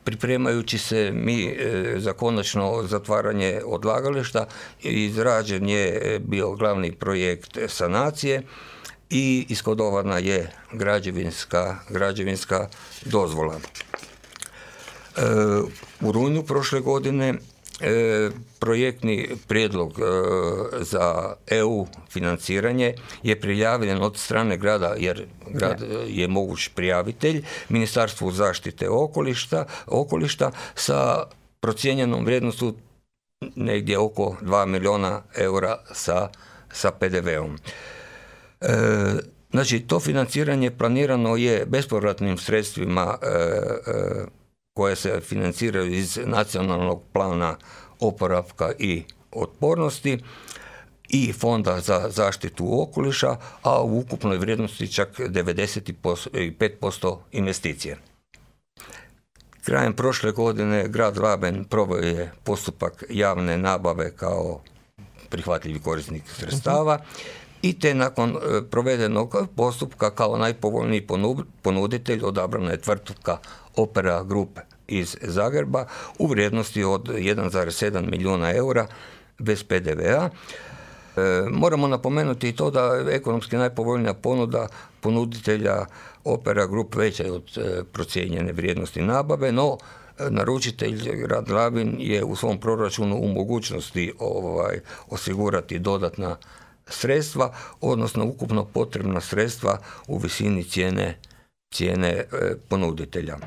pripremajući se mi za konačno zatvaranje odlagališta, izrađen je bio glavni projekt sanacije i ishodovana je građevinska dozvola. U rujnu prošle godine projektni prijedlog za EU financiranje je prijavljen od strane grada, jer grad je moguć prijavitelj, Ministarstvu zaštite okoliša sa procijenjenom vrijednošću negdje oko 2 milijuna eura sa PDV-om. Znači, to financiranje planirano je bespovratnim sredstvima koje se financiraju iz Nacionalnog plana oporavka i otpornosti i Fonda za zaštitu okoliša, a u ukupnoj vrijednosti čak 95% investicije. Krajem prošle godine grad Laben proveo je postupak javne nabave kao prihvatljivi korisnik sredstava i te nakon provedenog postupka kao najpovoljniji ponuditelj odabrana je tvrtka Opera Group iz Zagreba u vrijednosti od 1,7 milijuna eura bez PDV-a. Moramo napomenuti i to da je ekonomski najpovoljnija ponuda ponuditelja Opera Group veća je od procijenjene vrijednosti nabave, no naručitelj grad Labin je u svom proračunu u mogućnosti osigurati dodatna sredstva, odnosno ukupno potrebna sredstva u visini cijene ponuditelja.